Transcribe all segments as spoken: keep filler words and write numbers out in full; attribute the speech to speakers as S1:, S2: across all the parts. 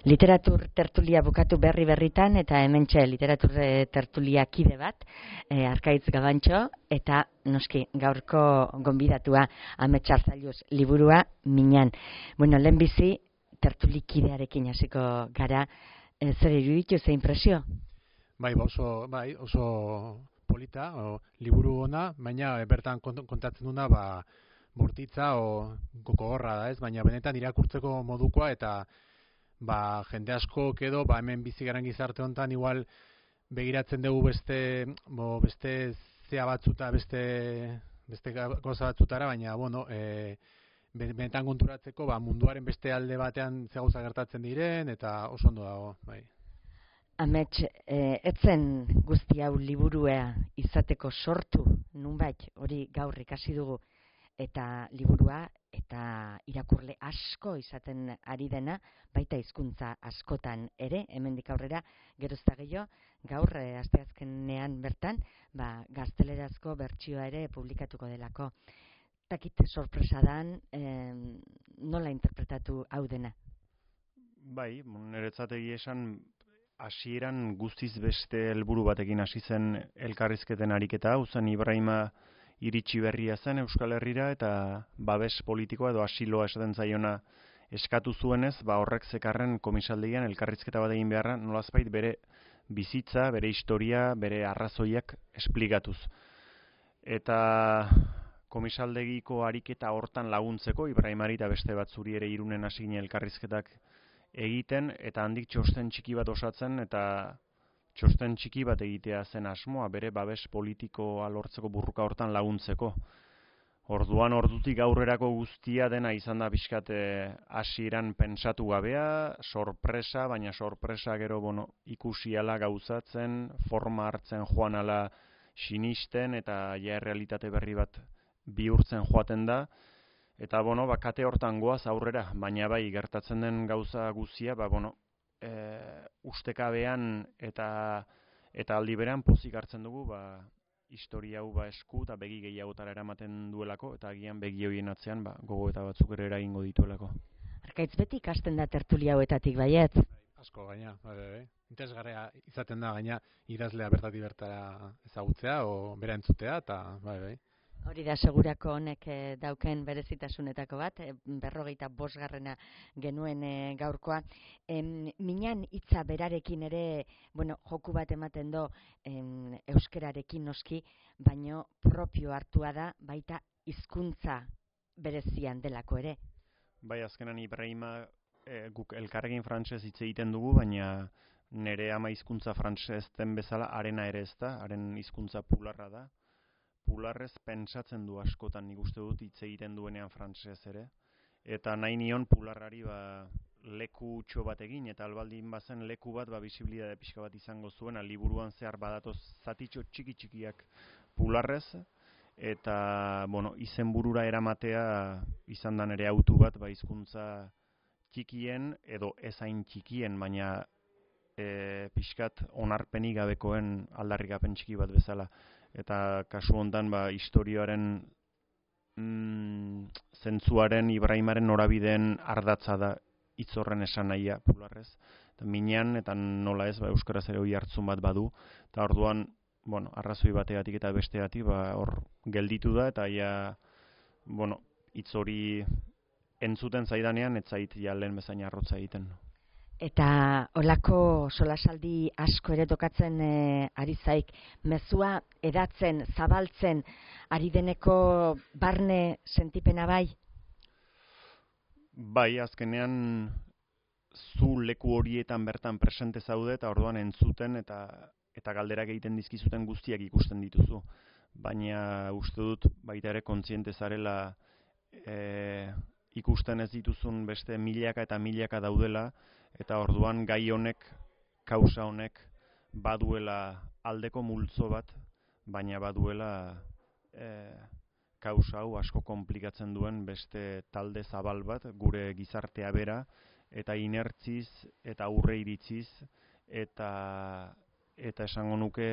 S1: literatur tertulia bukatu berri berritan, eta hementxe literatur tertulia kide bat, e, Arkaitz Gabantxo, eta noski gaurko gonbidatua Amets Arzalluz liburua Miñan. Bueno, lehenbizi tertulikidearekin hasiko gara, e, zer iruditu, ze impresio?
S2: Bai, oso, bai, oso polita, o, liburu ona, baina bertan kontatzen duna, ba, bortitza o gogorra da, ez? Baina benetan irakurtzeko modukoa, eta ba, jende asko edo ba, hemen bizi garen gizarte honetan igual begiratzen dugu beste bo, beste zea batzuta, beste beste gauza batzutara, baina bueno, e, benetan konturatzeko ba, munduaren beste alde batean ze gauza gertatzen diren, eta oso ondo dago, bai.
S1: Amets, e, etzen guzti hau liburua izateko sortu, nunbait, hori gaur ikasi dugu, eta liburua eta irakurle asko izaten ari dena, baita hizkuntza askotan ere, hemendik aurrera, gerozta gehiago, gaur e, asteazkenean bertan, ba, gaztelerazko bertsioa ere publikatuko delako. Takit sorpresa dan, e, nola interpretatu hau dena?
S3: Bai, niretzat egia esan, hasieran guztiz beste helburu batekin hasi zen elkarrizketen ariketa, hau zen Ibrahima iritsi berria zen Euskal Herrira, eta babes politikoa edo asiloa esaten zaiona eskatu zuenez, ba horrek zekarren komisaldegian elkarrizketa bat egin beharra, nolazbait bere bizitza, bere historia, bere arrazoiak esplikatuz. Eta komisaldegiko ariketa hortan laguntzeko, Ibrahimari eta beste batzuri ere Irunen hasi ginen elkarrizketak egiten, eta handik txosten txiki bat osatzen, eta txosten txiki bat egitea zen asmoa, bere babes politikoa lortzeko burruka hortan laguntzeko. Orduan ordutik aurrerako guztia dena izan da pixkat hasieran pentsatu gabea, sorpresa, baina sorpresa gero bueno, ikusiala gauzatzen, forma hartzen joan ala sinisten, eta ja realitate berri bat bihurtzen joaten da. Eta, bueno, ba, kate hortan goaz aurrera, baina bai, gertatzen den gauza guzia, ba, bueno, e, ustekabean eta eta aldi berean pozik hartzen dugu, ba, historia hau ba esku eta begi gehiagotara eramaten duelako, eta agian begi horien atzean, ba, gogo eta batzuk ere eragingo dituelako.
S1: Arkaitz, beti ikasten da tertulia hauetatik baiet?
S2: Asko, gaina, bai, bai. Interesgarria izaten da, gaina, idazlea bertatik bertara ezagutzea, o bera entzutea, eta, bai, bai.
S1: Hori da segurako honek e, dauken berezitasunetako bat, e, berrogeita bosgarrena genuen e, gaurkoa. E, Miñan hitza berarekin ere, bueno, joku bat ematen do em, euskerarekin noski, baino propio hartua da, baita hizkuntza berezian delako ere.
S3: Bai, azkenan Ibrahima e, guk elkarrekin frantsez hitz egiten dugu, baina nire ama hizkuntza frantsez den bezala arena ere ez da, haren hizkuntza pularra da. Pularrez pentsatzen du askotan, nik uste dut hitz egiten duenean frantsesez ere, eta nahi nion pularrari ba, leku utxo bat egin, eta albaldin bazen leku bat ba, bisibilidade pixka bat izango zuena, liburuan zehar badatoz zatitxo txiki txikiak pularrez, eta bueno, izenburura eramatea izan da nere autu bat, ba, hizkuntza txikien edo ezain txikien, baina e, pixkat onarpenik gabekoen aldarrikapen txiki bat bezala. Eta kasu hontan ba, historioaren mm, zentzuaren Ibrahimaren norabideen ardatza da hitz horren esan nahia pularrez. Eta Miñan eta nola ez, ba, euskaraz ere hori hartzun bat badu. Eta orduan, bueno, arrazoi bategatik eta bestegatik ba, hor gelditu da, eta ja, bueno, hitz hori entzuten zaidanean, ez zait ja lehen bezain arrotza egiten.
S1: Eta olako solasaldi asko ere tokatzen e, ari zaik, mezua edatzen, zabaltzen, ari deneko barne sentipena bai?
S3: Bai, azkenean zu leku horietan bertan presente zaude, eta orduan entzuten eta eta galderak egiten dizkizuten guztiak ikusten dituzu. Baina uste dut baita ere kontziente zarela e, ikusten ez dituzun beste milaka eta milaka daudela, eta orduan gai honek, kausa honek, baduela aldeko multzo bat, baina baduela e, kausa hau asko konplikatzen duen beste talde zabal bat, gure gizartea bera, eta inertziz, eta aurre iritziz, eta, eta esango nuke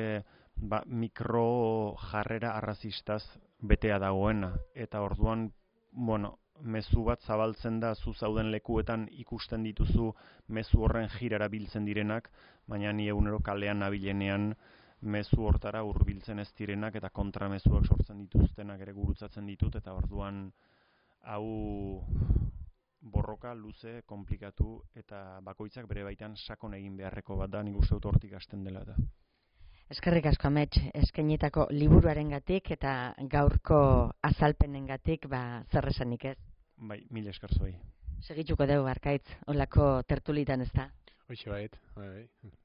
S3: ba, mikro jarrera arrazistaz betea dagoena. Eta orduan, bueno, mezu bat zabaltzen da zu zauden lekuetan ikusten dituzu mezu horren jirara biltzen direnak, baina ni egunero kalean nabilenean mezu hortara hurbiltzen ez direnak eta kontramezuak sortzen dituztenak ere gurutzatzen ditut, eta orduan hau borroka luze, komplikatu eta bakoitzak bere baitan sakon egin beharreko bat da, nik uste dut hortik hasten dela da.
S1: Eskerrik asko Amets, eskainitako liburuarengatik eta gaurko azalpenengatik ba zer esanik ez.
S3: Bai, mil esker zuei.
S1: Segituko dugu Arkaitz, holako tertulitan ez da.
S2: Hoxe bait, bai, bai.